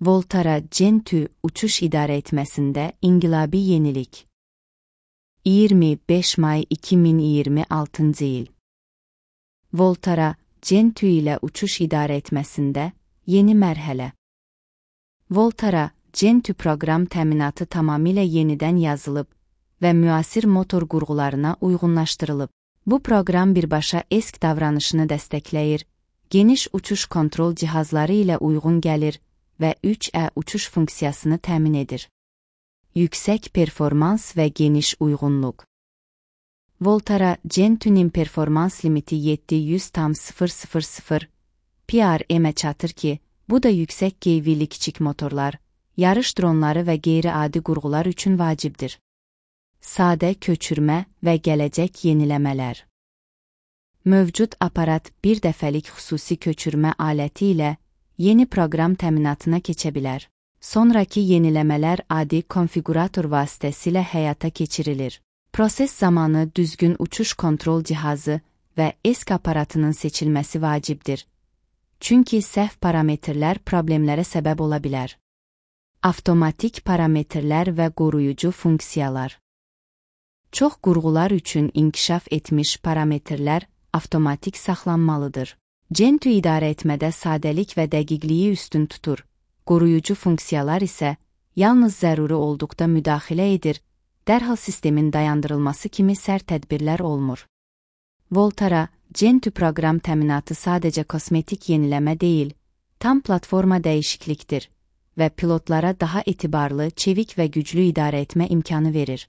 Voltara Gentoo uçuş idarə etməsində inqilabi yenilik. 25 may 2026 il. Voltara Gentoo ilə uçuş idarə etməsində yeni mərhələ. Voltara Gentoo proqram təminatı tamamilə yenidən yazılıb və müasir motor qurğularına uyğunlaşdırılıb. Bu proqram birbaşa ESC davranışını dəstəkləyir, geniş uçuş kontrol cihazları ilə uyğun gəlir və 3E uçuş funksiyasını təmin edir. Yüksək performans və geniş uyğunluq. Voltara Gentoo'nun performans limiti 700,000 PRM-ə çatır ki, bu da yüksək qeyvili kiçik motorlar, yarış dronları və qeyri-adi qurğular üçün vacibdir. Sadə köçürmə və gələcək yeniləmələr. Mövcud aparat bir dəfəlik xüsusi köçürmə aləti ilə yeni proqram təminatına keçə bilər. Sonrakı yeniləmələr adi konfiqurator vasitəsilə həyata keçirilir. Proses zamanı düzgün uçuş kontrol cihazı və ESC aparatının seçilməsi vacibdir. Çünki səhv parametrlər problemlərə səbəb ola bilər. Avtomatik parametrlər və qoruyucu funksiyalar. Çox qurğular üçün inkişaf etmiş parametrlər avtomatik saxlanmalıdır. Gentoo idarə etmədə sadəlik və dəqiqliyi üstün tutur. Qoruyucu funksiyalar isə yalnız zəruri olduqda müdaxilə edir, dərhal sistemin dayandırılması kimi sərt tədbirlər olmur. Voltara Gentoo proqram təminatı sadəcə kosmetik yeniləmə deyil, tam platforma dəyişiklikdir və pilotlara daha etibarlı, çevik və güclü idarə etmə imkanı verir.